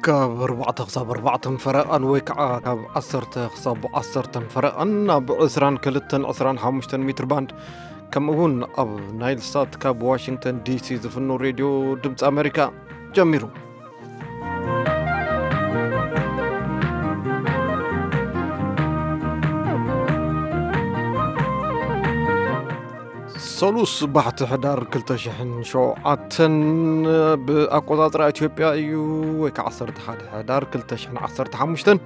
ካብ ኣርባዕተ ክሳብ ኣርባዕተ ፈረቓን ወይ ከዓ ካብ ዓሰርተ ክሳብ ዓሰርተ ፈረቓን ኣብ ዕስራን ክልተን ዕስራን ሓሙሽተን ሜትር ባንድ፣ ከምኡ እውን ኣብ ናይል ሳት ካብ ዋሽንግተን ዲሲ ዝፍኖ ሬድዮ ድምፂ ኣሜሪካ ጀሚሩ። ሰሉስ ባሕቲ ሕዳር ክልተ ሽሕን ሸውዓተን ብኣቆጻጽራ ኢትዮጵያ እዩ፣ ወይ ከዓ ዓሰርተ ሓደ ሕዳር ክልተ ሽሕን ዓሰርተ ሓሙሽተን።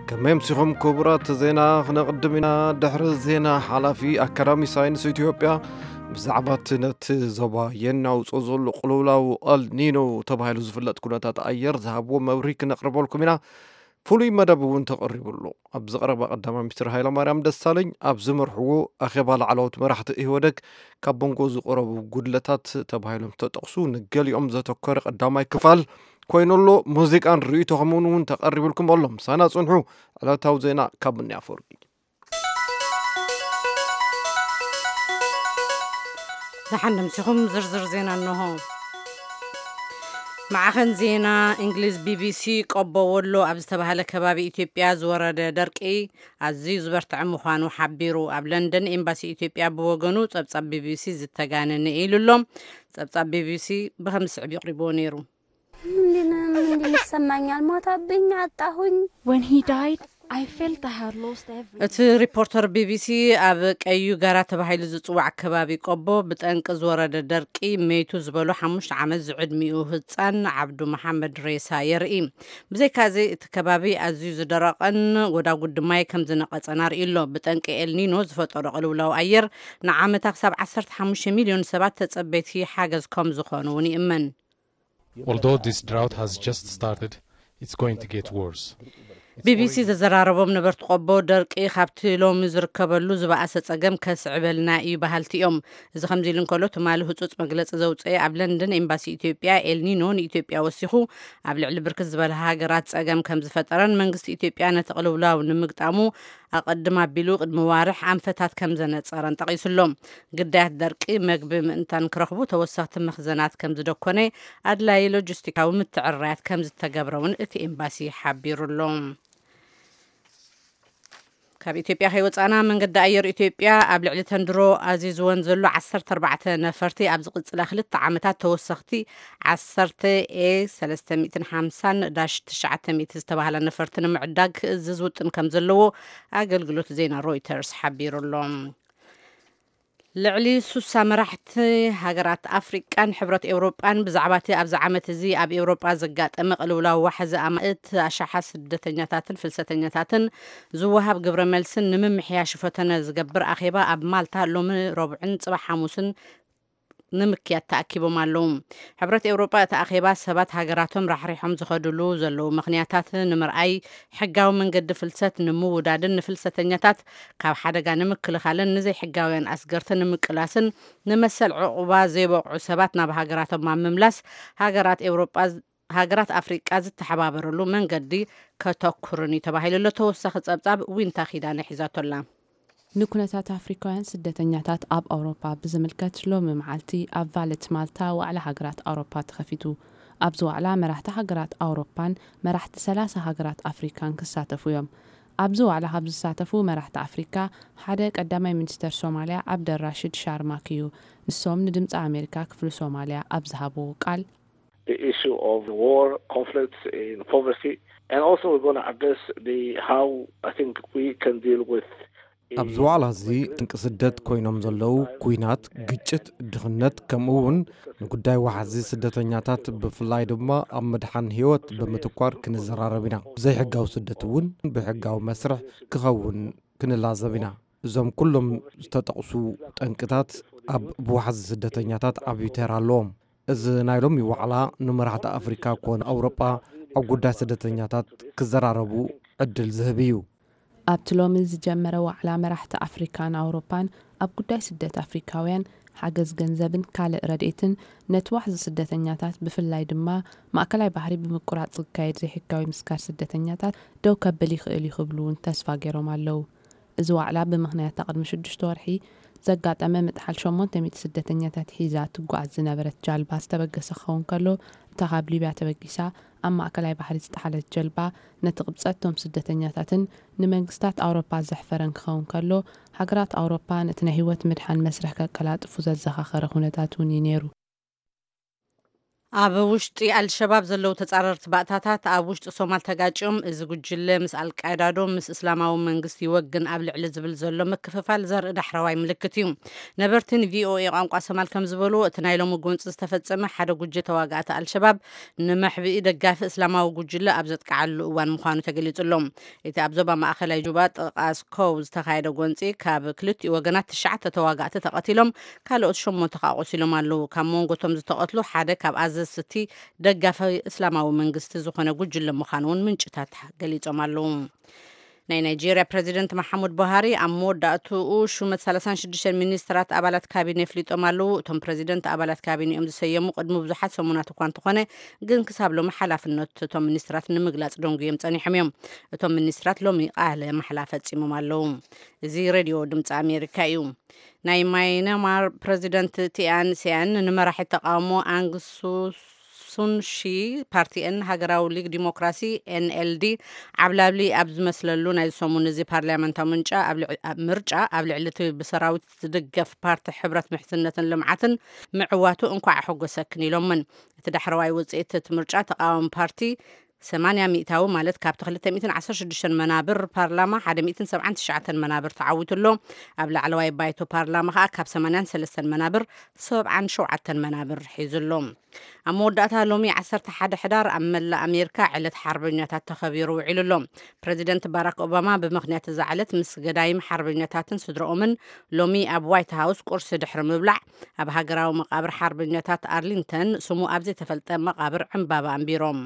ከመይ ኣምሲኹም ክቡራት? ዜና ክነቕድም ኢና። ድሕሪ ዜና፣ ሓላፊ ኣካዳሚ ሳይንስ ኢትዮጵያ ብዛዕባ እቲ ነቲ ዞባ የናውጾ ዘሎ ቅልውላው ኣልኒኖ ተባሂሉ ዝፍለጥ ኩነታት ኣየር ዝሃብዎ መብርሂ ክነቕርበልኩም ኢና። ፍሉይ መደብ እውን ተቐሪቡ ኣሎ። ኣብዚ ቀረባ ቀዳማይ ሚኒስትር ሃይለማርያም ደሳለኝ ኣብ ዝመርሕዎ ኣኼባ ላዕለዎት መራሕቲ ኢህወደግ ካብ መንጎ ዝቐረቡ ጉድለታት ተባሂሎም ዝተጠቕሱ ንገሊኦም ዘተኮረ ቀዳማይ ክፋል ኮይኑ ኣሎ። ሙዚቃን ርእይቶኹምን እውን ተቐሪቡልኩም ኣሎ። ምሳና ጽንሑ። ዕለታዊ ዜና ካብ ምንያ ኣፈወርቂ። ደሓን ደምሲኹም። ዝርዝር ዜና እንሆ። ማዕኸን ዜና እንግሊዝ ቢቢሲ፣ ቆቦ ወሎ ኣብ ዝተባህለ ከባቢ ኢትዮጵያ ዝወረደ ደርቂ ኣዝዩ ዝበርትዐ ምዃኑ ሓቢሩ። ኣብ ለንደን ኤምባሲ ኢትዮጵያ ብወገኑ ጸብጻብ ቢቢሲ ዝተጋነነ ኢሉ ኣሎ። ጸብጻብ ቢቢሲ ብኸም ዝስዕብ ይቕሪብዎ ነይሩ። ምንድን ምንድን ይሰማኛል? ሞተብኝ፣ አጣሁኝ። When he died, I felt I had lost everything. እቲ ሪፖርተር ቢቢሲ ኣብ ቀዩ ጋራ ተባሂሉ ዝጽዋዕ ከባቢ ቆቦ ብጠንቂ ዝወረደ ደርቂ መይቱ ዝበሎ ሓሙሽተ ዓመት ዝዕድሚኡ ህጻን ዓብዱ መሓመድ ሬሳ የርኢ። ብዘይካዚ እቲ ከባቢ ኣዝዩ ዝደረቐን ጎዳጉዲ ማይ ከም ዝነቐጸን ኣርእዩ ኣሎ። ብጠንቂ ኤልኒኖ ዝፈጠሮ ቅልውላው ኣየር ንዓመታ ክሳብ ዓሰርተ ሓሙሽተ ሚልዮን ሰባት ተጸበይቲ ሓገዝ ከም ዝኾኑ እውን ይእመን። Although this drought has just started, it's going to get worse. ቢቢሲ ዘዘራረቦም ነበርቲ ቆቦ ደርቂ ካብቲ ሎሚ ዝርከበሉ ዝበኣሰ ጸገም ከስዕበልና እዩ በሃልቲ እዮም። እዚ ከምዚ ኢሉ እንከሎ ትማሊ ህጹጽ መግለጺ ዘውጽአ ኣብ ለንደን ኤምባሲ ኢትዮጵያ ኤልኒኖ ንኢትዮጵያ ወሲኹ ኣብ ልዕሊ ብርክት ዝበለ ሃገራት ጸገም ከም ዝፈጠረን መንግስቲ ኢትዮጵያ ነቲ ቅልውላው ንምግጣሙ ኣቐድም ኣቢሉ ቅድሚ ዋርሕ ኣንፈታት ከም ዘነጸረን ጠቒሱ ኣሎ። ግዳያት ደርቂ መግቢ ምእንታን ክረኽቡ ተወሰኽቲ መኽዘናት ከም ዝደኮነ ኣድላዪ ሎጂስቲካዊ ምትዕርራያት ከም ዝተገብረ እውን እቲ ኤምባሲ ሓቢሩ ኣሎ። ካብ ኢትዮጵያ ከይወፃና መንገዲ ኣየር ኢትዮጵያ ኣብ ልዕሊ ተንድሮ ኣዚዝወን ዘሎ ዓሰርተ ኣርባዕተ ነፈርቲ ኣብ ዝቕፅላ ክልተ ዓመታት ተወሰኽቲ ዓሰርተ ኤ ሰለስተ ሚእትን ሓምሳን ዳሽ ትሽዓተ ሚእቲ ዝተባህላ ነፈርቲ ንምዕዳግ ክእዝዝ ውጥን ከም ዘለዎ ኣገልግሎት ዜና ሮይተርስ ሓቢሩ ኣሎ። ልዕሊ ሱሳ መራሕቲ ሃገራት ኣፍሪቃን ሕብረት ኤውሮጳን ብዛዕባ እቲ ኣብዚ ዓመት እዚ ኣብ ኤውሮጳ ዘጋጠመ ቅልውላው ዋሕዚ ኣማእት ኣሽሓት ስደተኛታትን ፍልሰተኛታትን ዝወሃብ ግብረ መልስን ንምምሕያሽ ፈተነ ዝገብር ኣኼባ ኣብ ማልታ ሎሚ ረቡዕን ጽባሕ ሓሙስን ንምክያድ ተኣኪቦም ኣለዉ። ሕብረት ኤውሮጳ እቲ ኣኼባ ሰባት ሃገራቶም ራሕሪሖም ዝኸድሉ ዘለዉ ምኽንያታት ንምርኣይ፣ ሕጋዊ መንገዲ ፍልሰት ንምውዳድን ንፍልሰተኛታት ካብ ሓደጋ ንምክልኻልን ንዘይሕጋውያን ኣስገርቲ ንምቅላስን ንመሰል ዕቑባ ዘይበቕዑ ሰባት ናብ ሃገራቶም ኣብ ምምላስ ሃገራት ኤውሮጳ ሃገራት ኣፍሪቃ ዝተሓባበረሉ መንገዲ ከተኩርን እዩ ተባሂሉ ኣሎ። ተወሳኺ ጸብጻብ ዊንታ ኪዳነ ሒዛቶ ኣላ። ንኩነታት ኣፍሪካውያን ስደተኛታት ኣብ ኣውሮፓ ብዝምልከት ሎሚ መዓልቲ ኣብ ቫለት ማልታ ዋዕላ ሃገራት ኣውሮፓ ተኸፊቱ። ኣብዚ ዋዕላ መራሕቲ ሃገራት ኣውሮፓን መራሕቲ ሰላሳ ሃገራት ኣፍሪካን ክሳተፉ እዮም። ኣብዚ ዋዕላ ካብ ዝሳተፉ መራሕቲ ኣፍሪካ ሓደ ቀዳማይ ሚኒስተር ሶማልያ ዓብደራሽድ ሻርማክ እዩ። ንሶም ንድምፂ ኣሜሪካ ክፍሊ ሶማልያ ኣብ ዝሃብዎ ቃል The issue of war, conflicts in poverty, and also we're going to address the how I think we can deal with ኣብዚ ዋዕላ እዚ ጠንቂ ስደት ኮይኖም ዘለዉ ኩናት፣ ግጭት፣ ድኽነት፣ ከምኡ እውን ንጉዳይ ዋሕዚ ስደተኛታት ብፍላይ ድማ ኣብ ምድሓን ህይወት ብምትኳር ክንዘራረብ ኢና። ዘይሕጋዊ ስደት እውን ብሕጋዊ መስርሕ ክኸውን ክንላዘብ ኢና። እዞም ኩሎም ዝተጠቕሱ ጠንቅታት ኣብ ብዋሕዚ ስደተኛታት ዓብዪ ተራ ኣለዎም። እዚ ናይ ሎሚ ዋዕላ ንመራሕቲ ኣፍሪካ ኮነ ኣውሮጳ ኣብ ጉዳይ ስደተኛታት ክዘራረቡ ዕድል ዝህብ እዩ። ኣብቲ ሎሚ ዝጀመረ ዋዕላ መራሕቲ ኣፍሪካን ኣውሮፓን ኣብ ጉዳይ ስደት ኣፍሪካውያን ሓገዝ ገንዘብን ካልእ ረድኤትን ነቲ ዋሕዚ ስደተኛታት ብፍላይ ድማ ማእከላይ ባሕሪ ብምቁራፅ ዝካየድ ዘይሕጋዊ ምስጋር ስደተኛታት ደው ከብል ይኽእል እዩ ክብሉ እውን ተስፋ ገይሮም ኣለዉ። እዚ ዋዕላ ብምኽንያት ቅድሚ ሽዱሽተ ወርሒ ዘጋጠመ ምጥሓል ሸሞንተ ሚእቲ ስደተኛታት ሒዛ ትጓዓዝ ዝነበረት ጃልባ ዝተበገሰ ክኸውን ከሎ እታ ካብ ሊብያ ተበጊሳ ኣብ ማእከላይ ባሕሪ ዝጠሓለት ጀልባ፣ ነቲ ቅብጸት እቶም ስደተኛታትን ንመንግስታት ኣውሮፓ ዘሕፈረን ክኸውን ከሎ፣ ሃገራት ኣውሮፓ ነቲ ናይ ህይወት ምድሓን መስርሕ ከቀላጥፉ ዘዘኻኸረ ኩነታት እውን እዩ ነይሩ። ኣብ ውሽጢ ኣልሸባብ ዘለዉ ተጻረርቲ ባእታታት ኣብ ውሽጢ ሶማል ተጋጭዮም፣ እዚ ጉጅለ ምስ ኣልቃይዳ ዶ ምስ እስላማዊ መንግስቲ ይወግን ኣብ ልዕሊ ዝብል ዘሎ ምክፍፋል ዘርኢ ዳሕረዋይ ምልክት እዩ። ነበርቲ ንቪኦኤ ቋንቋ ሶማል ከም ዝበልዎ፣ እቲ ናይ ሎሚ ጎንፂ ዝተፈጸመ ሓደ ጉጅለ ተዋጋእቲ ኣልሸባብ ንመሕብኢ ደጋፊ እስላማዊ ጉጅለ ኣብ ዘጥቅዓሉ እዋን ምዃኑ ተገሊጹ ኣሎ። እቲ ኣብ ዞባ ማእከላይ ጁባ ጥቓ ስኮው ዝተኻየደ ጎንፂ፣ ካብ ክልቲኡ ወገናት ትሽዓተ ተዋጋእቲ ተቐቲሎም፣ ካልኦት ሸሞንተ ከኣ ቆሲሎም ኣለዉ። ካብ መንጎ እቶም ዝተቐትሉ ሓደ ካብ ኣዘዝቲ ደጋፊ እስላማዊ መንግስቲ ዝኾነ ጉጅለ ምዃኑ እውን ምንጭታት ገሊጾም ኣለዉ። ናይ ናይጄርያ ፕረዚደንት መሓሙድ ቡሃሪ ኣብ መወዳእትኡ ሹመት ሰላሳን ሽዱሽተን ሚኒስትራት ኣባላት ካቢነ ኣፍሊጦም ኣለዉ። እቶም ፕረዚደንት ኣባላት ካቢነኦም ዝሰየሙ ቅድሚ ብዙሓት ሰሙናት እኳ እንተኾነ፣ ግን ክሳብ ሎሚ ሓላፍነት እቶም ሚኒስትራት ንምግላጽ ደንጉዮም ጸኒሖም እዮም። እቶም ሚኒስትራት ሎሚ ቃለ ማሕላ ፈጺሞም ኣለዉ። እዚ ሬድዮ ድምፂ ኣሜሪካ እዩ። ናይ ማይናማር ፕረዚደንት ቲኣን ሲያን ንመራሒ ተቃውሞ ኣንግ ሱን ሺ ፓርቲኤን ሃገራዊ ሊግ ዲሞክራሲ ኤንኤልዲ ዓብላብሊ ኣብ ዝመስለሉ ናይ ሰሙን እዚ ፓርላመንታዊ ምንጫ ኣብ ልዕ-፣ ኣብ ምርጫ ኣብ ልዕሊ እቲ ብሰራዊት ዝድገፍ ፓርቲ ሕብረት ምሕዝነትን ልምዓትን ምዕዋቱ እንኳዕ ኣሐጎሰክን ኢሎምን። እቲ ዳሕረዋይ ውፅኢት እቲ ምርጫ ተቃዋሚ ፓርቲ ሰማንያ ሚእታዊ ማለት ካብቲ ክልተ ሚእትን ዓሰርተ ሽዱሽተን መናብር ፓርላማ ሓደ ሚእትን ሰብዓን ትሽዓተን መናብር ተዓዊቱ ኣሎ። ኣብ ላዕለዋይ ባይቶ ፓርላማ ከኣ ካብ ሰማንያን ሰለስተን መናብር ሰብዓን ሸውዓተን መናብር ሒዙ ኣሎ። ኣብ መወዳእታ ሎሚ ዓሰርተ ሓደ ሕዳር ኣብ መላእ ኣሜሪካ ዕለት ሓርበኛታት ተኸቢሩ ውዒሉ ኣሎ። ፕረዚደንት ባራክ ኦባማ ብምኽንያት እዛ ዕለት ምስ ገዳይም ሓርበኛታትን ስድረኦምን ሎሚ ኣብ ዋይት ሃውስ ቁርሲ ድሕሪ ምብላዕ ኣብ ሃገራዊ መቃብር ሓርበኛታት ኣርሊንተን ስሙ ኣብ ዘይተፈልጠ መቃብር ዕምባባ ኣንቢሮም።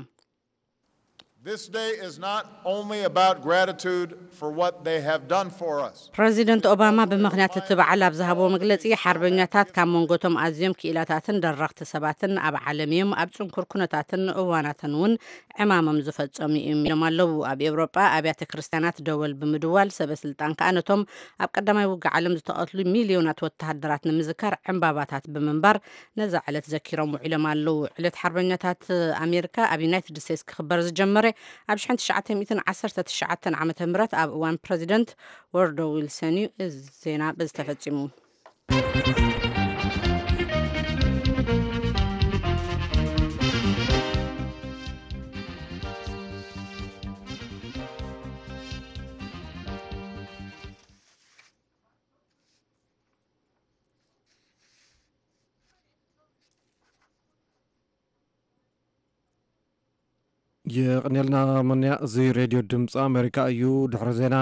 This day is not only about gratitude for what they have done for us. ፕረዚደንት ኦባማ ብምኽንያት እቲ በዓል ኣብ ዝሃብዎ መግለጺ፣ ሓርበኛታት ካብ መንጎቶም ኣዝዮም ክኢላታትን ደረኽቲ ሰባትን ኣብ ዓለም እዮም፣ ኣብ ጽንኩር ኩነታትን እዋናትን እውን ዕማሞም ዝፈጸሙ እዮም ኢሎም ኣለዉ። ኣብ ኤውሮጳ ኣብያተ ክርስትያናት ደወል ብምድዋል፣ ሰበ ስልጣን ከኣ ነቶም ኣብ ቀዳማይ ውግእ ዓለም ዝተቐትሉ ሚልዮናት ወተሃደራት ንምዝካር ዕምባባታት ብምንባር ነዛ ዕለት ዘኪሮም ውዒሎም ኣለዉ። ዕለት ሓርበኛታት ኣሜሪካ ኣብ ዩናይትድ ስቴትስ ክኽበር ዝጀመረ ኣብ ሽሕን ትሽዓተ ሚእትን ዓሰርተ ትሽዓተን ዓመተ ምህረት ኣብ እዋን ፕረዚደንት ወርዶ ዊልሰን እዩ። እዚ ዜና በዚ ተፈጺሙ። የቕንየልና መንያ፣ እዚ ሬድዮ ድምፂ ኣሜሪካ እዩ። ድሕሪ ዜና፣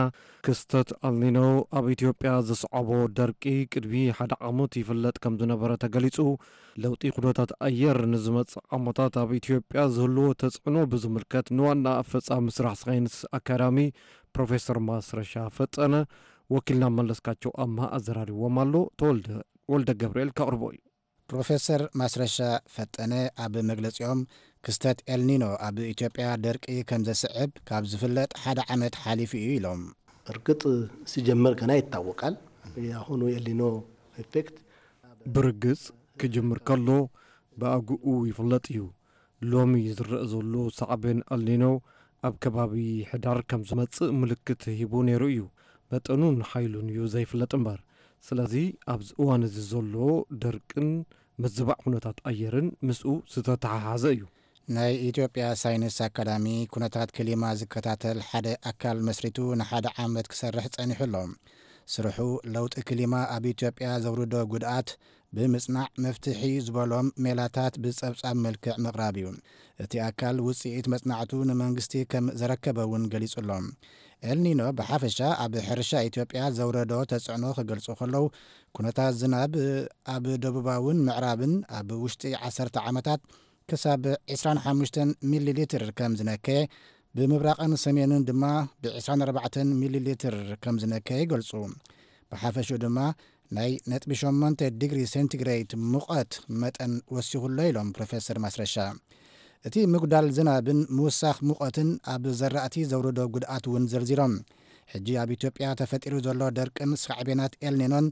ክስተት ኣልኒኖ ኣብ ኢትዮጵያ ዘስዓቦ ደርቂ ቅድሚ ሓደ ዓመት ይፍለጥ ከም ዝነበረ ተገሊጹ። ለውጢ ኩነታት ኣየር ንዝመጽእ ዓመታት ኣብ ኢትዮጵያ ዝህልዎ ተጽዕኖ ብዝምልከት ንዋና ኣፈጻሚ ስራሕ ሳይንስ ኣካዳሚ ፕሮፌሰር ማስረሻ ፈጠነ ወኪልና መለስካቸው ኣምሃ ኣዘራሪብዎም ኣሎ። ተወልደ ወልደ ገብርኤል ከቕርቦ እዩ። ፕሮፌሰር ማስረሻ ፈጠነ ኣብ መግለጺኦም፣ ክስተት ኤልኒኖ ኣብ ኢትዮጵያ ደርቂ ከም ዘስዕብ ካብ ዝፍለጥ ሓደ ዓመት ሓሊፉ እዩ ኢሎም። እርግጥ ሲጀመር ገና ይታወቃል። የአሁኑ ኤልኒኖ ኢፌክት ብርግጽ ክጅምር ከሎ ብኣግኡ ይፍለጥ እዩ። ሎሚ ዝረአ ዘሎ ሳዕቤን ኤልኒኖ ኣብ ከባቢ ሕዳር ከም ዝመጽእ ምልክት ሂቡ ነይሩ እዩ። መጠኑን ሓይሉን እዩ ዘይፍለጥ እምበር። ስለዚ ኣብዚ እዋን እዚ ዘሎ ደርቅን ምዝባዕ ኩነታት ኣየርን ምስኡ ዝተተሓሓዘ እዩ። ናይ ኢትዮጵያ ሳይንስ ኣካዳሚ ኩነታት ክሊማ ዝከታተል ሓደ ኣካል መስሪቱ ንሓደ ዓመት ክሰርሕ ጸኒሑ ኣሎ። ስርሑ ለውጢ ክሊማ ኣብ ኢትዮጵያ ዘውርዶ ጉድኣት ብምጽናዕ መፍትሒ ዝበሎም ሜላታት ብጸብጻብ መልክዕ ምቕራብ እዩ። እቲ ኣካል ውጽኢት መጽናዕቱ ንመንግስቲ ከም ዘረከበ እውን ገሊጹ ኣሎ። ኤልኒኖ ብሓፈሻ ኣብ ሕርሻ ኢትዮጵያ ዘውረዶ ተጽዕኖ ክገልጹ ከለዉ፣ ኩነታት ዝናብ ኣብ ደቡባውን ምዕራብን ኣብ ውሽጢ ዓሰርተ ዓመታት ክሳብ ዕስራን ሓሙሽተን ሚሊ ሊትር ከም ዝነከየ፣ ብምብራቕን ሰሜንን ድማ ብ ዕስራን ኣርባዕተን ሚሊ ሊትር ከም ዝነከየ ይገልጹ። ብሓፈሽኡ ድማ ናይ ነጥቢ ሸሞንተ ዲግሪ ሴንቲግሬድ ሙቐት መጠን ወሲኹ ኣሎ ኢሎም ፕሮፌሰር ማስረሻ። እቲ ምጉዳል ዝናብን ምውሳኽ ሙቐትን ኣብ ዘራእቲ ዘውረዶ ጉድኣት እውን ዘርዚሮም። ሕጂ ኣብ ኢትዮጵያ ተፈጢሩ ዘሎ ደርቅን ሳዕቤናት ኤልኒኖን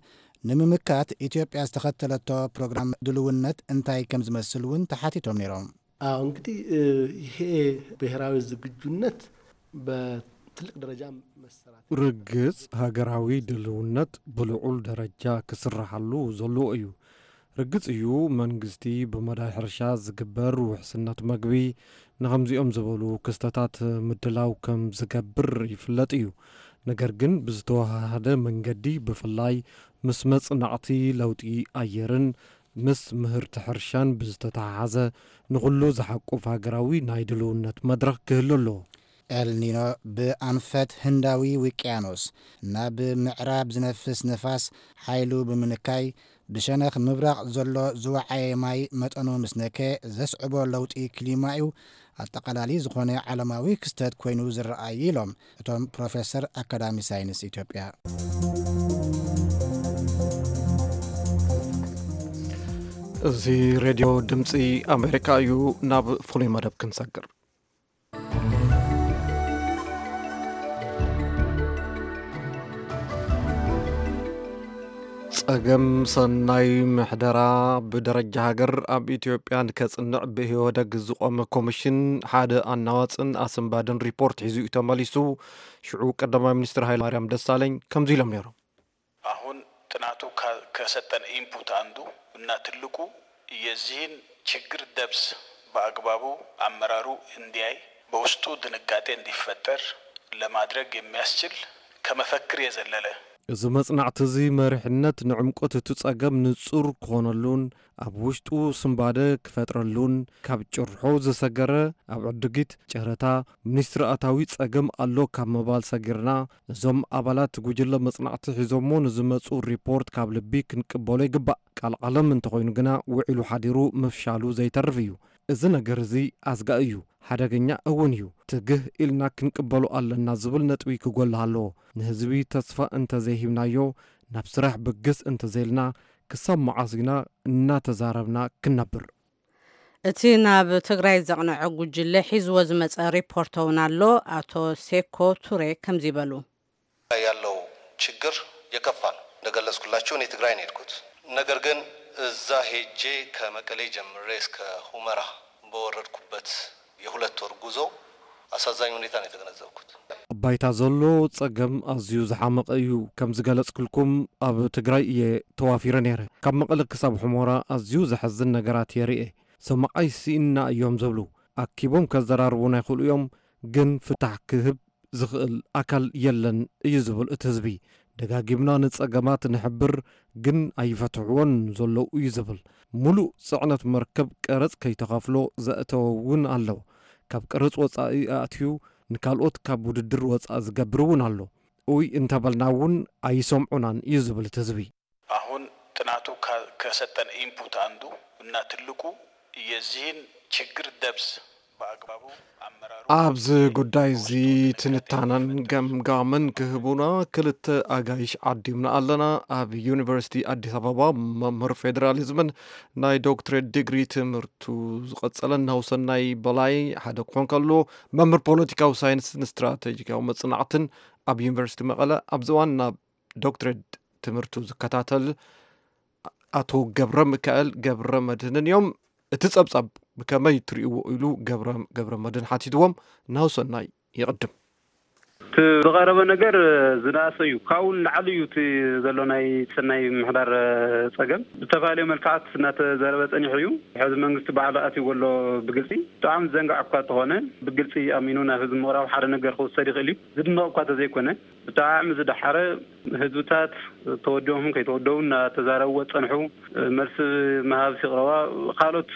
ንምምካት ኢትዮጵያ ዝተኸተለቶ ፕሮግራም ድልውነት እንታይ ከም ዝመስል እውን ተሓቲቶም ነይሮም። አዎ፣ እንግዲህ፣ እ፣ ይሄ ብሔራዊ ዝግጁነት በትልቅ ደረጃ መሰራት ርግጽ፣ ሃገራዊ ድልውነት ብልዑል ደረጃ ክስረሓሉ ዘለዎ እዩ። ርግጽ እዩ፣ መንግስቲ ብመዳይ ሕርሻ ዝግበር ውሕስነት መግቢ ንኸምዚኦም ዝበሉ ክስተታት ምድላው ከም ዝገብር ይፍለጥ እዩ። ነገር ግን ብዝተወሃሃደ መንገዲ፣ ብፍላይ ምስ መጽናዕቲ ለውጢ ኣየርን ምስ ምህርቲ ሕርሻን ብዝተተሓሓዘ ንኹሉ ዝሓቁፍ ሃገራዊ ናይ ድልውነት መድረኽ ክህሉ ኣለዎ። ኤልኒኖ ብኣንፈት ህንዳዊ ውቅያኖስ ናብ ምዕራብ ዝነፍስ ንፋስ ሓይሉ ብምንካይ፣ ብሸነኽ ምብራቕ ዘሎ ዝወዓየ ማይ መጠኑ ምስ ነከ ዘስዕቦ ለውጢ ክሊማ እዩ ኣጠቓላሊ ዝኾነ ዓለማዊ ክስተት ኮይኑ ዝረኣይ ኢሎም እቶም ፕሮፌሰር ኣካዳሚ ሳይንስ ኢትዮጵያ። እዚ ሬድዮ ድምፂ ኣሜሪካ እዩ። ናብ ፍሉይ መደብ ክንሰግር። ጸገም ሰናይ ምሕደራ ብደረጃ ሃገር ኣብ ኢትዮጵያ ንከጽንዕ ብኢህወደግ ዝቖመ ኮሚሽን ሓደ ኣናዋጽን ኣስንባድን ሪፖርት ሒዙ እዩ ተመሊሱ። ሽዑ ቀዳማይ ሚኒስትር ሃይለማርያም ደሳለኝ ከምዚ ኢሎም ነይሮም። አሁን ጥናቱ ከ-፣ ከሰጠን ኢንፑት አንዱ እና ትልቁ የዚህን ችግር ደብስ በአግባቡ አመራሩ እንዲያይ በውስጡ ድንጋጤ እንዲፈጠር ለማድረግ የሚያስችል ከመፈክር የዘለለ። እዚ መጽናዕቲ እዚ መሪሕነት ንዕምቆት እቲ ጸገም ንጹር ክኾነሉን ኣብ ውሽጡ ስንባደ ክፈጥረሉን ካብ ጭርሖ ዝሰገረ ኣብ ዕድጊት ጨረታ ሚኒስትሪ ኣታዊ ጸገም ኣሎ ካብ ምባል ሰጊርና፣ እዞም ኣባላት ጉጅለ መጽናዕቲ ሒዞሞ ንዝመጹ ሪፖርት ካብ ልቢ ክንቅበሎ ይግባእ። ቃልቃሎም እንተኾይኑ ግና ውዒሉ ሓዲሩ ምፍሻሉ ዘይተርፍ እዩ። እዚ ነገር እዚ ኣስጋኢ እዩ፣ ሓደገኛ እውን እዩ። ትግህ ኢልና ክንቅበሎ ኣለና ዝብል ነጥቢ ክጎልህ ኣለዎ። ንህዝቢ ተስፋ እንተዘይሂብናዮ፣ ናብ ስራሕ ብግስ እንተዘይልና፣ ክሳብ መዓስ ኢና እናተዛረብና ክንነብር? እቲ ናብ ትግራይ ዘቕነዐ ጉጅለ ሒዝዎ ዝመጸ ሪፖርት እውን ኣሎ። ኣቶ ሴኮ ቱሬ ከምዚ በሉ። ያለው ችግር የከፋ ነው። እንደገለጽኩላችሁ እኔ ትግራይ ነው የሄድኩት። ነገር ግን እዛ ሄጄ ከመቀሌ ጀምሬ እስከ ሁመራ በወረድኩበት የሁለት ወር ጉዞ አሳዛኝ ሁኔታ ነው የተገነዘብኩት። ኣብ ባይታ ዘሎ ጸገም ኣዝዩ ዝሓመቐ እዩ። ከም ዝገለጽኩልኩም ኣብ ትግራይ እየ ተዋፊረ ነይረ። ካብ መቐለ ክሳብ ሑመራ ኣዝዩ ዘሐዝን ነገራት የርኢ። ሰማዓይ ስኢንና እዮም ዝብሉ። ኣኪቦም ከዘራርቡና ይኽእሉ እዮም፣ ግን ፍታሕ ክህብ ዝኽእል ኣካል የለን እዩ ዝብል እቲ ህዝቢ። ደጋጊምና ንጸገማት ንሕብር፣ ግን ኣይፈትሕዎን ዘለዉ እዩ ዝብል። ሙሉእ ጽዕነት መርከብ ቀረጽ ከይተኸፍሎ ዘእተወ እውን ኣሎ። ካብ ቀረጽ ወጻኢ ኣእትዩ ንካልኦት ካብ ውድድር ወጻኢ ዝገብር እውን ኣሎ። ኡይ እንተበልና እውን ኣይሰምዑናን እዩ ዝብል እቲ ህዝቢ። አሁን ጥናቱ ከ-፣ ከሰጠን ኢንፑት አንዱ እና ትልቁ የዚህን ችግር ደብስ በአግባቡ አመራሩ ኣብዚ ጉዳይ እዚ ትንታነን ገምጋምን ክህቡና ክልተ ኣጋይሽ ዓዲምና ኣለና። ኣብ ዩኒቨርሲቲ ኣዲስ ኣበባ መምህር ፌዴራሊዝምን ናይ ዶክትሬት ዲግሪ ትምህርቱ ዝቐጸለን ናሁሰናይ በላይ ሓደ ክኾን ከሎ፣ መምህር ፖለቲካዊ ሳይንስን ስትራቴጂካዊ መጽናዕትን ኣብ ዩኒቨርሲቲ መቐለ ኣብዚ እዋን ናብ ዶክትሬት ትምህርቱ ዝከታተል ኣቶ ገብረ ሚካኤል ገብረ መድህንን እዮም። እቲ ጸብጻብ ብከመይ ትርእይዎ ኢሉ ገብረ፣ ገብረ መድህን ሓቲትዎም። ናሁሰናይ ይቕድም። እቲ ዝቐረበ ነገር ዝነኣሰ እዩ። ካብኡ ንላዕሊ እዩ እቲ ዘሎ ናይ ሰናይ ምሕዳር ጸገም። ብተፈላለዩ መልክዓት እናተዛረበ ጸኒሑ እዩ። ሕዚ መንግስቲ ባዕሉ ኣትይዎ ኣሎ ብግልጺ። ብጣዕሚ ዘንጋዕ እኳ እንተኾነ ብግልጺ ኣሚኑ ናብ ህዝቢ ምቕራብ ሓደ ነገር ክውሰድ ይኽእል እዩ። ዝድነቕ እኳ እንተዘይኮነ ብጣዕሚ ዝደሓረ ህዝብታት ተወዲቦም ከይተወደቡ እናተዛረብዎ ዝጸንሑ፣ መልሲ ምሃብ ሲቕረባ ካልኦት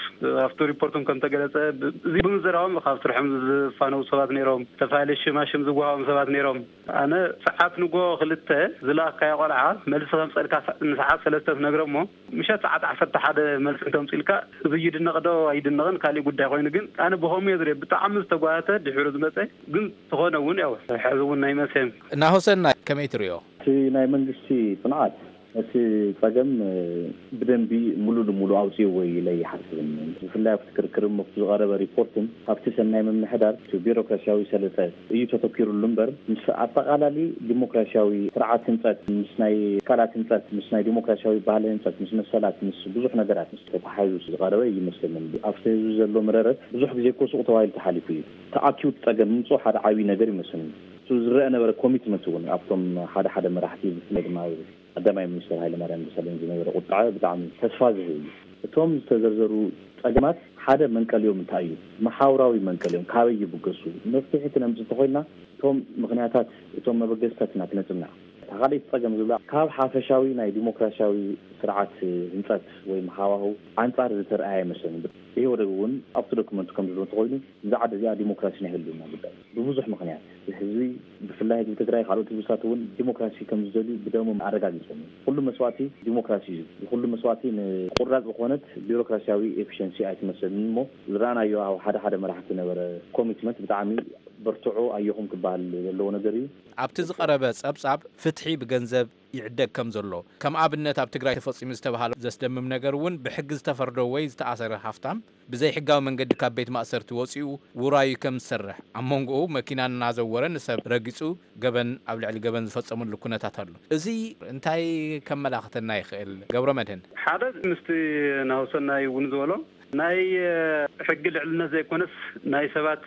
ኣብቲ ሪፖርቶም ከም ተገለጸ ብ-፣ እዚ ብምዝራቦም ካብ ስርሖም ዝፋነዉ ሰባት ነይሮም፣ ዝተፈላለዩ ሽማሽም ዝወሃቦም ሰባት ነይሮም። ኣነ ሰዓት ንጎ ክልተ ዝለኣካዮ ቆልዓ መልሲ ከምጸልካ ሰ-፣ ንሰዓት ሰለስተ ትነግሮ እሞ ምሸት ሰዓት ዓሰርተ ሓደ መልሲ እንተምጽልካ እዚ ይድነቕ ዶ ኣይድነቕን ካሊእ ጉዳይ ኮይኑ፣ ግን ኣነ ብኸምኡ እየ ዝሪኦ። ብጣዕሚ ዝተጓተተ ድሒሩ ዝመጸ ግን ዝኾነ እውን ያው ሕዚ እውን ናይ መሰም ናሆሰናይ ከመይ ትሪኦ? እቲ ናይ መንግስቲ ጽንዓት እቲ ጸገም ብደንቢ ሙሉ ንሙሉ ኣውጺእዎ ኢለ ይሓስብን። ብፍላይ ኣብቲ ክርክርን ኣብቲ ዝቐረበ ሪፖርትን ኣብቲ ሰናይ ምምሕዳር እቲ ቢሮክራሲያዊ ሰለጠ እዩ ተተኪሩሉ እምበር፣ ምስ ኣጠቓላሊ ዲሞክራሲያዊ ስርዓት ህንጸት፣ ምስ ናይ ትካላት ህንጸት፣ ምስ ናይ ዲሞክራሲያዊ ባህሊ ህንጸት፣ ምስ መሰላት፣ ምስ ብዙሕ ነገራት ምስ ተተሓሒዙ ዝቐረበ ይመስለኒ። ኣብቲ ህዝቢ ዘሎ መረረት ብዙሕ ግዜ እኮ ሱቕ ተባሂሉ ተሓሊፉ እዩ። ተኣኪቡ እቲ ጸገም ምምጽኡ ሓደ ዓብዪ ነገር ይመስለኒ። እቲ ዝረአ ነበረ ኮሚትመንት እውን ኣብቶም ሓደ ሓደ መራሕቲ፣ ብፍላይ ድማ ቀዳማይ ሚኒስተር ሃይለማርያም ደሳለኝ ዝነበረ ቁጥዐ ብጣዕሚ ተስፋ ዝህብ እዩ። እቶም ዝተዘርዘሩ ጸገማት ሓደ መንቀሊኦም እንታይ እዩ? መሓውራዊ መንቀሊኦም ካበይ ይብገሱ? መፍትሒ ክነምጽእ እንተኾይና እቶም ምኽንያታት፣ እቶም መበገስታት ኢና ክነጽንዕ። እታ ካልኣይቲ ጸገም ዝብላ ካብ ሓፈሻዊ ናይ ዲሞክራሲያዊ ስርዓት ህንጸት ወይ ሃዋህው ኣንጻር ዝተርኣየ ኣይመስለንን። ኢህወደግ እውን ኣብቲ ዶክመንቱ ከም ዝብሎ እንተኾይኑ እዛ ዓዲ እዚኣ ዲሞክራሲ ናይ ህልውና ጉዳይ ብብዙሕ ምኽንያት ህዝቢ ብፍላይ ህዝቢ ትግራይ ካልኦት ህዝብታት እውን ዲሞክራሲ ከም ዝደልዩ ብደሞም ኣረጋጊጾም እዮም። ኩሉ መስዋእቲ ዲሞክራሲ እዩ። ኩሉ መስዋእቲ ንቁራጽ ዝኾነት ቢሮክራሲያዊ ኤፊሽንሲ ኣይትመስልን እሞ ዝረኣናዮ ኣብ ሓደ ሓደ መራሕቲ ነበረ ኮሚትመንት ብጣዕሚ በርትዑ ኣየኹም ክበሃል ዘለዎ ነገር እዩ። ኣብቲ ዝቐረበ ጸብጻብ ፍትሒ ብገንዘብ ይዕደግ ከም ዘሎ፣ ከም ኣብነት ኣብ ትግራይ ተፈጺሙ ዝተባሃለ ዘስደምም ነገር እውን ብሕጊ ዝተፈርዶ ወይ ዝተኣሰረ ሃፍታም ብዘይሕጋዊ መንገዲ ካብ ቤት ማእሰርቲ ወጺኡ ውራዩ ከም ዝሰርሕ፣ ኣብ መንጎኡ መኪና እናዘወረ ንሰብ ረጊጹ ገበን ኣብ ልዕሊ ገበን ዝፈጸመሉ ኩነታት ኣሎ። እዚ እንታይ ከመላኽተና ይኽእል? ገብረ መድህን። ሓደ ምስቲ ናሁሰናይ እውን ዝበሎ ናይ ሕጊ ልዕልነት ዘይኮነስ ናይ ሰባት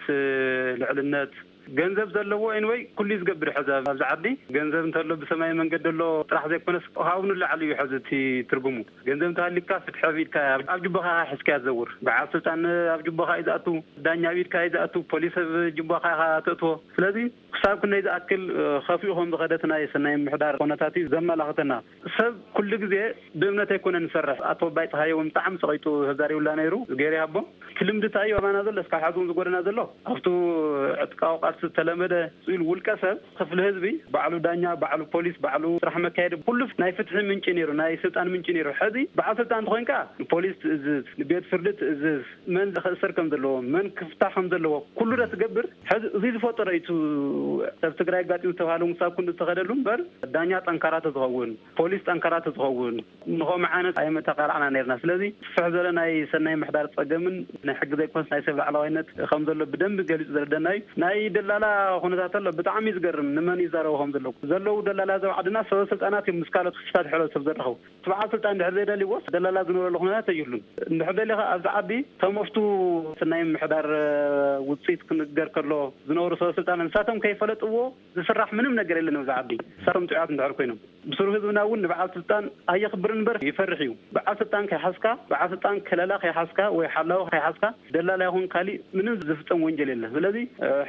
ልዕልነት ገንዘብ ዘለዎ ኤንወይ ኩሉ እዩ ዝገብር። ሕዚ ኣብዚ ዓዲ ገንዘብ እንተሎ ብሰማይ መንገዲ ኣሎ ጥራሕ ዘይኮነስ ካብኡ ንላዕሊ እዩ። ሕዚ እቲ ትርጉሙ ገንዘብ እንተሃሊካ ፍትሒ ኢልካ ኣብ ጅቦኻ ሒዝካ ትዘውር። በዓል ስልጣን ኣብ ጅቦኻ እዩ ዝኣቱ፣ ዳኛ ኣብ ኢድካ እዩ ዝኣቱ፣ ፖሊስ ኣብ ጅቦኻ ኢኻ ተእትዎ። ስለዚ ክሳብ ክንደይ ዝኣክል ከፊኡ ከም ዝኸደት ናይ ሰናይ ምሕዳር ኮነታት እዩ ዘመላኽተና። ሰብ ኩሉ ግዜ ብእምነት ኣይኮነን ዝሰርሕ። ኣቶ ኣባይ ፀሃየ እውን ብጣዕሚ ፀቂጡ ተዛሪቡላ ነይሩ። ገይሩ ይሃቦ እቲ ልምዲ እንታይ እዩ ኣባና ዘሎ እስካብ ሓዚ እውን ዝጎደና ዘሎ ኣብቱ ዕጥቃዊ ቃልሲ ዝተለመደ ስኢሉ ውልቀ ሰብ ክፍሊ ህዝቢ ባዕሉ ዳኛ፣ ባዕሉ ፖሊስ፣ ባዕሉ ስራሕ መካየዲ ኩሉ ናይ ፍትሒ ምንጪ ነይሩ፣ ናይ ስልጣን ምንጪ ነይሩ። ሕዚ በዓል ስልጣን እንተኮይንካ ንፖሊስ ትእዝዝ፣ ንቤት ፍርዲ ትእዝዝ፣ መን ክእሰር ከም ዘለዎ፣ መን ክፍታሕ ከም ዘለዎ ኩሉ ዶ ትገብር? ሕዚ እዚ ዝፈጠሮ እዩ። ሰብ ትግራይ ኣጋጢሙ ዝተባሃለ እውን ክሳብ ክንዲ ዝተኸደሉ እምበር ዳኛ ጠንካራ ተዝኸውን፣ ፖሊስ ጠንካራ ተዝኸውን ንኸምኡ ዓይነት ኣይመተቃላዕና ነርና። ስለዚ ስፍሕ ዝበለ ናይ ሰናይ ምሕዳር ጸገምን ናይ ሕጊ ዘይኮነስ ናይ ሰብ ላዕለዋይነት ከም ዘሎ ብደንቢ ገሊጹ ዘረደና እዩ። ናይ ደላላ ኩነታት ኣሎ፣ ብጣዕሚ እዩ ዝገርም። ንመን ይዛረቡ ከም ዘለዉ ዘለዉ ደላላ ዘብ ዓድና ሰበ ስልጣናት እዮም ምስ ካልኦት ክፍታት ሕብረተሰብ ዘራኸቡ። እቲ በዓል ስልጣን እንድሕር ዘይደልይዎስ ደላላ ዝነበረሉ ኩነታት ኣይህሉን። እንድሕር ደሊኻ ኣብዚ ዓዲ ተመፍቱ ናይ ምሕዳር ውፅኢት ክንገር ከሎ ዝነበሩ ሰበ ስልጣን ንሳቶም ከይፈለጥዎ ዝስራሕ ምንም ነገር የለን ኣብዚ ዓዲ። ንሳቶም ጥዑያት እንድሕር ኮይኖም ብስሩ ህዝብና እውን ንበዓል ስልጣን ኣየኽብርን እምበር ይፈርሕ እዩ። በዓል ስልጣን ከይሓዝካ፣ በዓል ስልጣን ከለላ ከይሓዝካ ወይ ሓላዊ ከይሓዝካ ደላላ ይኹን ካሊእ ምንም ዝፍፀም ወንጀል የለን። ስለዚ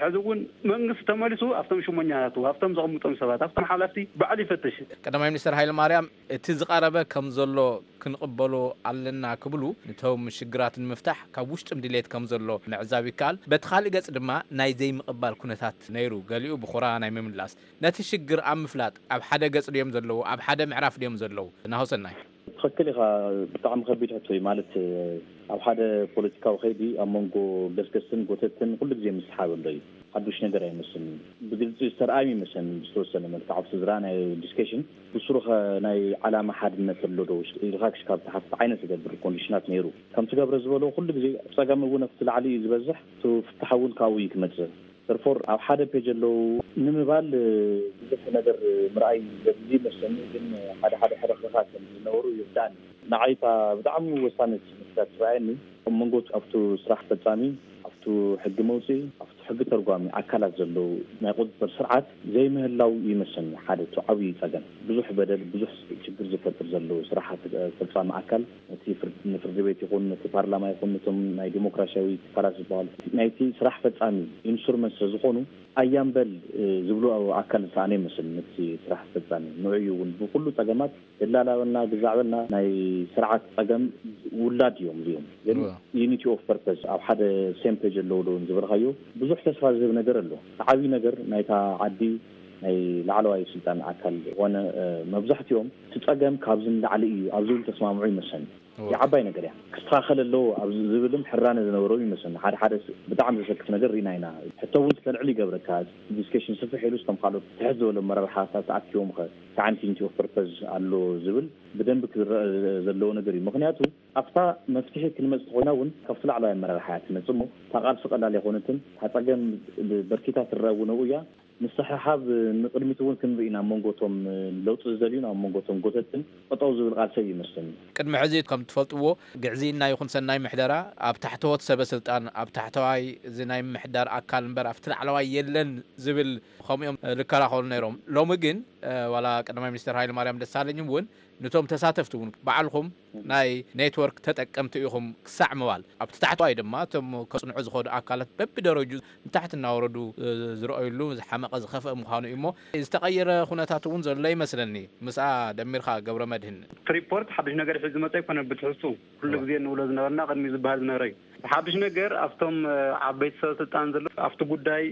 ሕዚ እውን መንግስቲ ተመሊሱ ኣብቶም ሽሞኛታቱ ኣብቶም ዘቐምጦም ሰባት ኣብቶም ሓላፍቲ ባዕሉ ይፈትሽ። ቀዳማይ ሚኒስትር ሃይለ ማርያም እቲ ዝቐረበ ከም ዘሎ ክንቕበሎ ኣለና ክብሉ፣ ነቶም ሽግራት ንምፍታሕ ካብ ውሽጥም ድሌት ከም ዘሎ ምዕዛብ ይከኣል። በቲ ካልእ ገጽ ድማ ናይ ዘይምቕባል ኩነታት ነይሩ። ገሊኡ ብኹራ ናይ ምምላስ። ነቲ ሽግር ኣብ ምፍላጥ ኣብ ሓደ ገጽ ድዮም ዘለዉ፣ ኣብ ሓደ ምዕራፍ ድዮም ዘለዉ? ናሆሰናይ። ትኽክል ኢኻ። ብጣዕሚ ከቢድ ሕቶ እዩ። ማለት ኣብ ሓደ ፖለቲካዊ ከይዲ ኣብ መንጎ ገስገስትን ጎተትን ኩሉ ግዜ ምስሓብ ኣሎ እዩ። ሓዱሽ ነገር ኣይመስልን። ብግልፂ ዝተርኣዩ ይመስለኒ ብዝተወሰነ መልክዕ ኣብቲ ዝረኣናዮ ዲስከሽን ብስሩ ኸ ናይ ዓላማ ሓድነት ኣሎ ዶ ኢልካ ክሽካብ ትሓትት ዓይነት ዝገብር ኮንዲሽናት ነይሩ። ከምቲ ገብረ ዝበሎ ኩሉ ግዜ ፀገም እውን ኣብቲ ላዕሊ እዩ ዝበዝሕ፣ እቲ ፍታሕ እውን ካብኡ እዩ ክመፅእ። ተርፎር ኣብ ሓደ ፔጅ ኣለዉ ንምባል ብዙሕ ነገር ምርኣይ ዘድሊ መስለኒ። ግን ሓደ ሓደ ሕርኽርኻት ከም ዝነበሩ ይርዳእኒ። ንዓይ እታ ብጣዕሚ ወሳነት መስላ ትረኣየኒ ኣብ መንጎ ኣብቱ ስራሕ ፈጻሚ፣ ኣብቱ ሕጊ መውፅኢ፣ ኣብቱ ሕጊ ተርጓሚ ኣካላት ዘለዉ ናይ ቁፅፅር ስርዓት ዘይምህላው ይመስለኒ ሓደ እቲ ዓብዪ ፀገም። ብዙሕ በደል ብዙሕ ችግር ዝፈጥር ዘለዉ ስራሓት ፈጻሚ ኣካል ነቲ ፍርድ ንፍርዲ ቤት ይኹን ነቲ ፓርላማ ይኹን ነቶም ናይ ዲሞክራሲያዊ ትካላት ዝበሃሉ ናይቲ ስራሕ ፈጻሚ ኢንስትሩመንት ስለዝኾኑ ኣያምበል ዝብሉ ኣካል ዝሰኣነ ይመስል። ነቲ ስራሕ ፈጻሚ ንዕዩ እውን ብኩሉ ጸገማት ደላላ በልና ግዛዕ በልና ናይ ስርዓት ጸገም ውላድ እዮም እዚኦም። ግን ዩኒቲ ኦፍ ፐርፐስ ኣብ ሓደ ሴም ፔጅ ኣለዉ ዶ ዝበልካዮ ብዙሕ ተስፋ ዝህብ ነገር ኣሎ። ዓብዪ ነገር ናይታ ዓዲ ናይ ላዕለዋይ ስልጣን ኣካል ዝኾነ፣ እ፣ መብዛሕትኦም እቲ ጸገም ካብዚ ንላዕሊ እዩ ኣብ ዝብል ተስማምዑ ይመስለኒ። እወ። የዓባይ ነገር እያ። ክስተኻኸል ኣለዎ ኣብ ዝብልም ሕራነ ዝነበሮም ይመስለኒ። ሓደ ሓደ ስ-፣ ብጣዕሚ ዘሰክፍ ነገር ርኢና ኢና። ሕቶ እውን ክተልዕል ይገብረካ። ዲስከሽን ስፍሕ ኢሉ፣ ስቶም ካልኦት ትሕት ዝበሉ ኣመራርሓታት ተኣኪቦም ኸ፣ ሳዕንቲንቲ ኦፍ ፐርፐዝ ኣሎ ዝብል ብደንብ ክዝረእ ዘለዎ ነገር እዩ። ምኽንያቱ ኣብታ መፍትሒ ክንመጽእ ተኾይና እውን ካብቲ ላዕለዋይ ኣመራርሓ እያ ትመጽእ እሞ፣ እታ ቃልሲ ቀላል ኣይኮነትን። እታ ጸገም ብበርኪታ ትረአ እውን ኣብኡ እያ። ምስሕሓብ ንቕድሚት እውን ክንርኢ ኢና። ኣብ መንጎ እቶም ለውጢ ዝደልዩን ኣብ መንጎ እቶም ጎተትን ጠጠው ዝብል ቃልሲ እዩ ይመስለኒ። ቅድሚ ሕዚ ከም ትፈልጥዎ፣ ግዕዝይና ይኹን ሰናይ ምሕደራ ኣብ ታሕተዎት ሰበ ስልጣን፣ ኣብ ታሕተዋይ እዚ ናይ ምሕዳር ኣካል እምበር ኣብቲ ላዕለዋይ የለን ዝብል፣ ከምኡ እዮም ልከራኸሩ ነይሮም። ሎሚ ግን፣ እ፣ ዋላ ቀዳማይ ሚኒስትር ሃይለ ማርያም ደሳለኝ እውን ነቶም ተሳተፍቲ እውን ባዕልኹም ናይ ኔትወርክ ተጠቀምቲ ኢኹም ክሳዕ ምባል፣ ኣብቲ ታሕተዋይ ድማ እቶም ከጽንዑ ዝኸዱ ኣካላት በብደረጁ ንታሕቲ እናወረዱ፣ እ፣ ዝረኣዩሉ ዝሓመቐ ዝኸፍአ ምዃኑ እዩ እሞ፣ ዝተቐየረ ኩነታት እውን ዘሎ ይመስለኒ። ምስኣ ደሚርካ ገብረ መድህን። እቲ ሪፖርት ሓድሽ ነገር ሒዙ ዝመጸ ኣይኮነን። ብትሕዝቱ ኩሉ ግዜ እንብሎ ዝነበርና፣ ቅድሚ ዝበሃል ዝነበረ እዩ። ሓድሽ ነገር ኣብቶም፣ እ፣ ዓበይቲ ሰበ ስልጣን ዘሎ፣ ኣብቲ ጉዳይ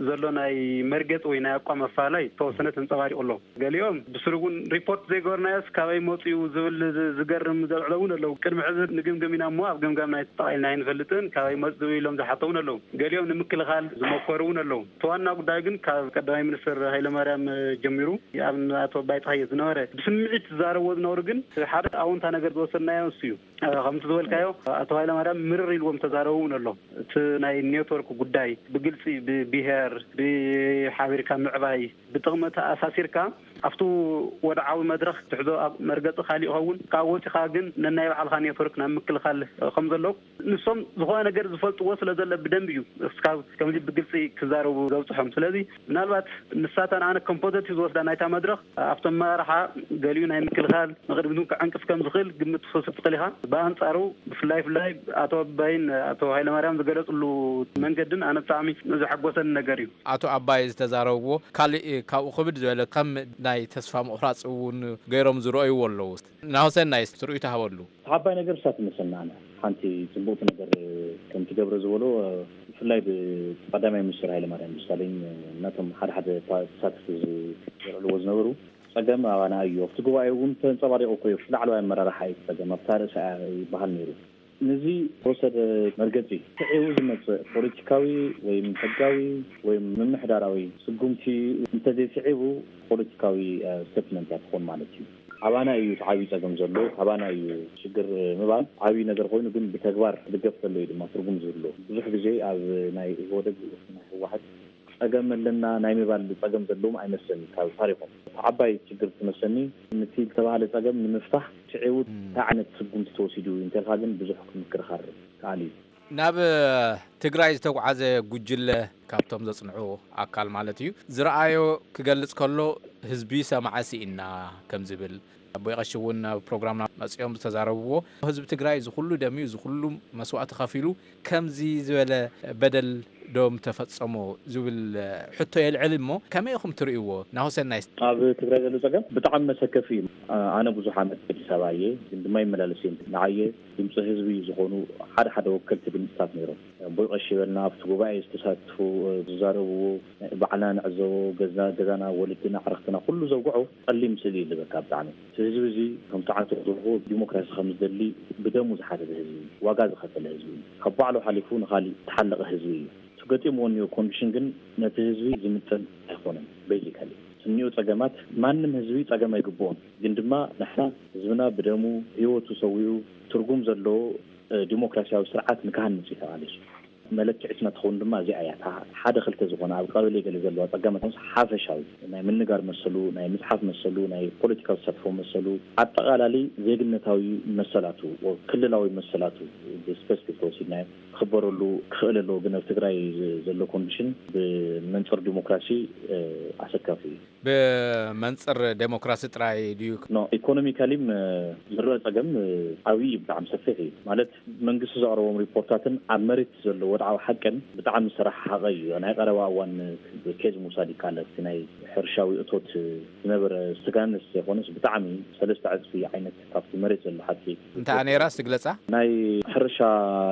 ዘሎ ናይ መርገጽ ወይ ናይ ኣቋም ኣፈላላይ ዝተወሰነ ተንጸባሪቑ ኣሎ። ገሊኦም ብስሩ እውን ሪፖርት ዘይገበርናዮስ ካበይ መጽኡ ዝብል ዝ-፣ ዝገርም ዘልዕሎ እውን ኣለዉ። ቅድሚ ሕዚ ንግምግም ኢና እሞ ኣብ ገምጋም ናይ ተጠቓሊልና ኣይንፈልጥን፣ ካበይ መጽኡ ኢሎም ዝሓተው እውን ኣለዉ። ገሊኦም ንምክልኻል ዝመከሩ እውን ኣለዉ። እቲ ዋና ጉዳይ ግን ካብ ቀዳማይ ሚኒስትር ሃይለማርያም ጀሚሩ፣ ኣብ ኣቶ ኣባይ ፀሃየ ዝነበረ ብስምዒት ዝዛረብዎ ዝነበሩ ግን ሓደ ኣውንታ ነገር ዝወሰድናዮ እሱ እዩ። ከምቲ ዝበልካዮ ኣቶ ሃይለማርያም ምርር ኢልዎም ተዛረቡ እውን ኣሎ። እቲ ናይ ኔትወርክ ጉዳይ ብግልፂ ብብሄር፣ ብሓቢርካ ምዕባይ፣ ብጥቕሚ ተኣሳሲርካ ኣብቲ ወድዓዊ መድረኽ ትሕዞ ኣብ መርገፂ ካሊእ ይኸውን፣ ካብ ወፂኻ ግን ነናይ ባዕልኻ ኔትወርክ ናብ ምክልኻል ከም ዘሎ ንሶም ዝኾነ ነገር ዝፈልጥዎ ስለ ዘለ ብደንብ እዩ እስካብ ከምዚ ብግልፂ ክዛረቡ ዘብፅሖም። ስለዚ ምናልባት ንሳተን ኣነ ከም ፖዘቲቭ ዝወስዳ ናይታ መድረኽ ኣብቶም መራርሓ ገሊኡ ናይ ምክልኻል ንቕድሚት እውን ክዕንቅፍ ከም ዝኽእል ግምት ክትወስድ ትኽእል ኢኻ። ብኣንጻሩ ብፍላይ ፍላይ ኣቶ ኣባይን ኣቶ ሃይለማርያም ዝገለጽሉ መንገድን ኣነ ብጣዕሚ ዘሐጎሰኒ ነገር እዩ። ኣቶ ኣባይ ዝተዛረብዎ ካልእ ካብኡ ክብድ ዝበለ ከም ናይ ተስፋ ምቑራጽ እውን ገይሮም ዝረኣይዎ ኣለዉ። ናሁሰናይ ትርኢት ሃበሉ። ዓባይ ነገር እሳ ትመስለና ኣነ። ሓንቲ ጽቡቕቲ ነገር ከም ትገብረ ዝበሎ፣ ብፍላይ ብቀዳማይ ሚኒስትር ሃይለማርያም ደሳለኝ እናቶም ሓደ ሓደ ተሳተፍቲ ዝልዕልዎ ዝነበሩ፣ ጸገም ኣባና እዩ። ኣብቲ ጉባኤ እውን ተንጸባሪቑ እኮ እዩ። ላዕለዋይ ኣመራርሓ እዩ ጸገም፣ ኣብታ ርእሳ እያ ይበሃል ነይሩ። ነዚ ዝተወሰደ መርገጺ ስዒቡ ዝመጽእ ፖለቲካዊ ወይም ሕጋዊ ወይም ምምሕዳራዊ ስጉምቲ እንተዘይስዒቡ ፖለቲካዊ፣ እ፣ ስቴትመንት እያ ትኾን ማለት እዩ። ኣባና እዩ እቲ ዓብዪ ጸገም ዘሎ፣ ኣባና እዩ ሽግር ምባል ዓብዪ ነገር ኮይኑ፣ ግን ብተግባር ክድገፍ ከሎ እዩ ድማ ትርጉም ዝህልዎ። ብዙሕ ግዜ ኣብ ናይ ኢህወደግ፣ ናይ ህወሓት ጸገም ኣለና ናይ ምባል ጸገም ዘለዎም ኣይመስለኒ ካብ ታሪኾም። እቲ ዓባይ ችግር ትመስለኒ፣ ነቲ ዝተባህለ ጸገም ንምፍታሕ ስዒቡ እንታይ ዓይነት ስጉምቲ ተወሲዱ እዩ እንተልካ ግን ብዙሕ ምክርኻር ከኣል እዩ። ናብ ትግራይ ዝተጓዓዘ ጉጅለ ካብቶም ዘጽንዑ ኣካል ማለት እዩ ዝረኣዮ ክገልጽ ከሎ፣ ህዝቢ ሰማዐ ስኢና ከም ዝብል ኣቦይ ቀሺ እውን ናብ ፕሮግራምና መጺኦም ዝተዛረብዎ፣ ህዝቢ ትግራይ እዚ ኩሉ ደም እዩ፣ እዚ ኩሉ መስዋእቲ ከፊሉ ከምዚ ዝበለ በደል ዶም ተፈጸሞ ዝብል ሕቶ የልዕል እሞ፣ ከመይ ኢኹም ትርእይዎ? ናሁሰናይ። ኣብ ትግራይ ዘሎ ጸገም ብጣዕሚ መሰከፊ እዩ። ኣነ ብዙሕ ዓመት ኣዲስ ኣበባ እየ፣ ግን ድማ ይመላለስ እየ። ንዓየ ድምፂ ህዝቢ ዝኾኑ ሓደ ሓደ ወከልቲ ድምፅታት ነይሮም። ኣቦይ ቀሺ በልና ኣብቲ ጉባኤ ዝተሳትፉ፣ ዝዛረብዎ፣ ባዕልና ንዕዘቦ፣ ገዛ-፣ ገዛና፣ ወለድና፣ ኣዕርኽትና ኩሉ ዘውግዖ ጸሊም ስእሊ እዩ ዝህበካ ብጣዕሚ። እቲ ህዝቢ እዚ ከምቲ ዓንተኹ ዝበልኩዎ ዲሞክራሲ ከም ዝደሊ ብደሙ ዝሓተተ ህዝቢ እዩ። ዋጋ ዝኸፈለ ህዝቢ እዩ። ካብ ባዕሉ ሓሊፉ ንኻሊእ ዝተሓለቐ ህዝቢ እዩ። እቲ ገጢምዎ እኒኦ ኮንዲሽን ግን ነቲ ህዝቢ ዝምጥን ኣይኮነን። ቤዚካሊ እኒኦ ጸገማት ማንም ህዝቢ ጸገም ኣይግብኦን። ግን ድማ ንሕና ህዝብና ብደሙ ህይወቱ ሰዊኡ ትርጉም ዘለዎ፣ እ፣ ዲሞክራሲያዊ ስርዓት ንክሃንጽ እዩ ተቓሊሱ። መለክዒትና ትኸውን ድማ እዚኣ እያ። እታ ሓደ ክልተ ዝኾነ ኣብ ቀበሌ ገለ ዘለዋ ጸገማት ምስ ሓፈሻዊ ናይ ምንጋር መሰሉ፣ ናይ ምጽሓፍ መሰሉ፣ ናይ ፖለቲካዊ ተሳትፎ መሰሉ፣ ኣጠቓላሊ ዜግነታዊ መሰላቱ፣ ክልላዊ መሰላቱ ብስፔሲፊክ ተወሲድናዮ ክኽበረሉ ክኽእል ኣለዎ። ግን ኣብ ትግራይ ዘሎ ኮንዲሽን ብመንጽር ዲሞክራሲ፣ እ፣ ኣሰካፊ እዩ። ብመንፅር ዴሞክራሲ ጥራይ ድዩ? ኖ፣ ኢኮኖሚካሊም ዝረአ ፀገም ዓብዪ እዩ፣ ብጣዕሚ ሰፊሕ እዩ። ማለት መንግስቲ ዘቕረቦም ሪፖርታትን ኣብ መሬት ዘሎ ወድዓዊ ሓቅን ብጣዕሚ ዝተረሓሓቐ እዩ። ናይ ቀረባ እዋን ኬዝ ምውሳድ ይከኣል። እቲ ናይ ሕርሻዊ እቶት ዝነበረ ስጋንስ ዘይኮነስ ብጣዕሚ ሰለስተ ዕፅፊ ዓይነት ካብቲ መሬት ዘሎ ሓቂ። እንታይ ነይራ ስግለፃ? ናይ ሕርሻ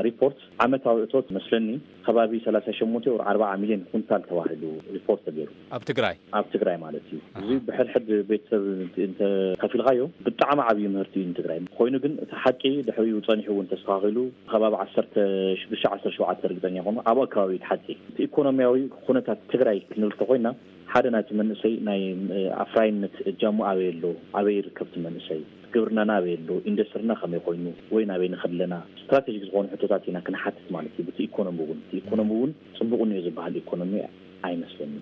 ሪፖርት ዓመታዊ እቶት መስለኒ ከባቢ ሰላሳ ሸሞንተ ወር ኣርባዓ ሚልዮን ኩንታል ተባሂሉ ሪፖርት ተገይሩ። ኣብ ትግራይ? ኣብ ትግራይ ማለት እዩ። እዚ ብሕድሕድ ቤተሰብ እንተ ከፊልካዮ ብጣዕሚ ዓብዪ ምህርቲ እዩ ንትግራይ። ኮይኑ ግን እቲ ሓቂ ድሕሪኡ ፀኒሑ እውን ተስተኻኺሉ ከባቢ ዓሰርተ ሽዱሽተ ዓሰርተ ሸውዓተ ርግፀኛ ይኾኑ ኣብ ከባቢ ሓቂ። እቲ ኢኮኖሚያዊ ኩነታት ትግራይ ክንብል ተኮይና ሓደ ናይቲ መንእሰይ ናይ ኣፍራይነት እጃሙ ኣበይ ኣሎ? ኣበይ ይርከብ እቲ መንእሰይ? ግብርናና ኣበይ ኣሎ? ኢንዱስትሪና ከመይ ኮይኑ? ወይ ናበይ ንኸድ ኣለና? ስትራቴጂክ ዝኾኑ ሕቶታት ኢና ክንሓትት ማለት እዩ። ብቲ ኢኮኖሚ እውን፣ እቲ ኢኮኖሚ እውን ፅቡቕ እኒኦ ዝበሃል ኢኮኖሚ ኣይመስለኒ።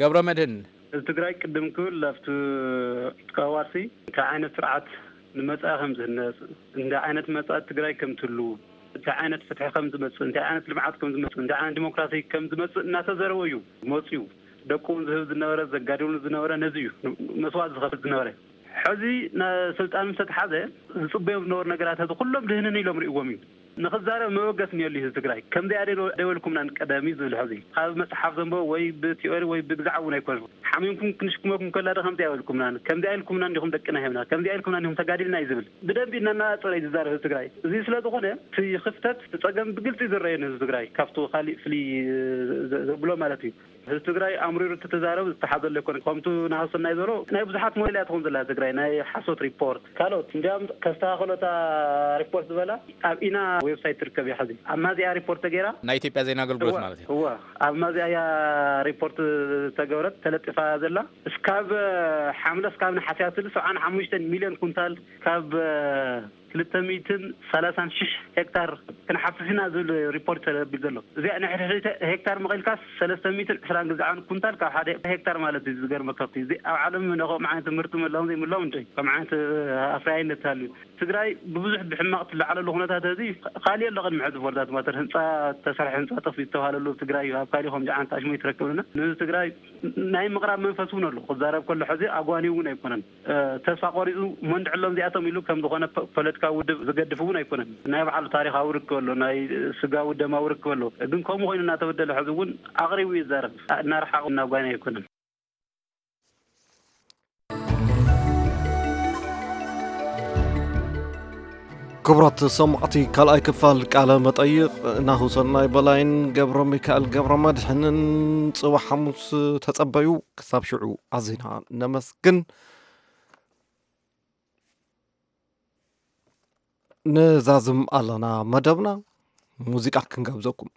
ገብረ መድህን። ህዝቢ ትግራይ ቅድም ክብል ኣብቲ ቀዋሲ እንታይ ዓይነት ስርዓት ንመጻኢ ከም ዝህነፅ፣ እንታይ ዓይነት መጻኢ ትግራይ ከም ትህሉ፣ እንታይ ዓይነት ፍትሒ ከም ዝመፅእ፣ እንታይ ዓይነት ልምዓት ከም ዝመፅእ፣ እንታይ ዓይነት ዲሞክራሲ ከም ዝመፅእ እናተዘረበ እዩ መፅዩ። ደቁ እውን ዝህብ ዝነበረ፣ ዘጋድሉ ዝነበረ ነዚ እዩ መስዋዕት ዝኸፍል ዝነበረ። ሕዚ ስልጣን ምስ ተተሓዘ ዝፅበዮም ዝነበሩ ነገራት ሕዚ ኩሎም ድህንን ኢሎም ርእዎም እዩ። ንኽዛረብ መበገስ እኒኦሉ እዩ ህዝቢ ትግራይ። ከምዚኣ ደ ደበልኩምናን ቀደም እዩ ዝብል ሕዚ። ካብ መፅሓፍ ዘንበቦ ወይ ብቲዮሪ ወይ ብግዛዕ እውን ኣይኮነን። ሓሚምኩም ክንሽክመኩም ከላ ዶ ከምዚኣ ኣይበልኩምናን? ከምዚኣ ኢልኩምና እንዲኹም ደቅና ሂብና፣ ከምዚኣ ኢልኩምና እንዲኹም ተጋዲልና እዩ ዝብል። ብደንቢ እናነፃፀረ እዩ ዝዛረብ ህዝቢ ትግራይ። እዚ ስለ ዝኾነ እቲ ክፍተት፣ እቲ ፀገም ብግልፂ ዝረኣየኒ ህዝቢ ትግራይ ካብቲ ካሊእ ፍልይ ዘ- ዘብሎ ማለት እዩ። ህዝቢ ትግራይ ኣምሪሩ እተተዛረቡ ዝተሓዘሉ ኣይኮነን። ከምቱ ናሃሰናይ ዘሎ ናይ ብዙሓት ሞዴል እያ ትኾን ዘላ ትግራይ፣ ናይ ሓሶት ሪፖርት ካልኦት እንዲያም ከስተኻኸሎታ ሪፖርት ዝበላ ኣብ ኢና ዌብሳይት ትርከብ እያ። ሕዚ ኣብ ማዚያ ሪፖርት ተገይራ። ናይ ኢትዮጵያ ዜና ኣገልግሎት እዋ ማለት እዩ። እዋ ኣብ ማዚያ እያ ሪፖርት ተገብረት ተለጢፋ ዘላ። እስካብ ሓምለ እስካብ ነሓስያ ትብል ሰብዓን ሓሙሽተን ሚልዮን ኩንታል ካብ ክልተ ሚእትን ሰላሳን ሽሕ ሄክታር ክንሓፍስ ኢና ዝብል ሪፖርት ተረቢል ዘሎ። እዚኣ ናይ ሕድሕድ ሄክታር መቒልካስ ሰለስተ ሚእትን ዕስራን ግዛዓን ኩንታል ካብ ሓደ ሄክታር ማለት እዩ። ዝገርመካ እኮ እዩ። እዚ ኣብ ዓለም ነኸም ዓይነት ምህርቲ ምህላውን ዘይምህላውን እንደ ከም ዓይነት ኣፍራይነት ሃልዩ ትግራይ ብብዙሕ ብሕማቕ ትለዓለሉ ኩነታት እዚ ካሊእ ኣሎ። ቅድሚ ሕዚ ቦርዳት ማተር ህንፃ ተሰርሐ ህንፃ ጠፊኡ ዝተባሃለሉ ትግራይ ኣብ ካሊእ ከምዚ ዓይነት ኣሽሙ ይትረክብና። ንትግራይ ናይ ምቕራብ መንፈስ እውን ኣሎ። ክዛረብ ከሎ ሕዚ ኣጓኒ እውን ኣይኮነን። ተስፋ ቆሪፁ መንድዕሎም እዚኣቶም ኢሉ ከም ዝኾነ ፖለቲካዊ ውድብ ዝገድፍ እውን ኣይኮነን። ናይ ባዕሉ ታሪኻዊ ርክብ ኣሎ፣ ናይ ስጋዊ ደማዊ ርክብ ኣሎ። ግን ከምኡ ኮይኑ እናተበደለ ሕዚ እውን ኣቕሪቡ ይዛረብ። እናረሓቑ እናጓኒ ኣይኮነን። ክቡራት ሰማዕቲ፣ ካልኣይ ክፋል ቃለ መጠይቕ ናሁሰናይ በላይን ገብረ ሚካኤል ገብረ መድሕንን ጽባሕ ሓሙስ ተጸበዩ። ክሳብ ሽዑ ኣዚና ነመስግን። ንዛዝም ኣለና መደብና፣ ሙዚቃ ክንጋብዘኩም።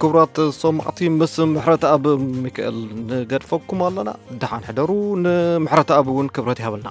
ክቡራት ሰማዕቲ፣ ምስ ምሕረት ኣብ ሚካኤል ንገድፈኩም ኣለና። ደሓን ሕደሩ። ንምሕረት ኣብ እውን ክብረት ይሃበልና።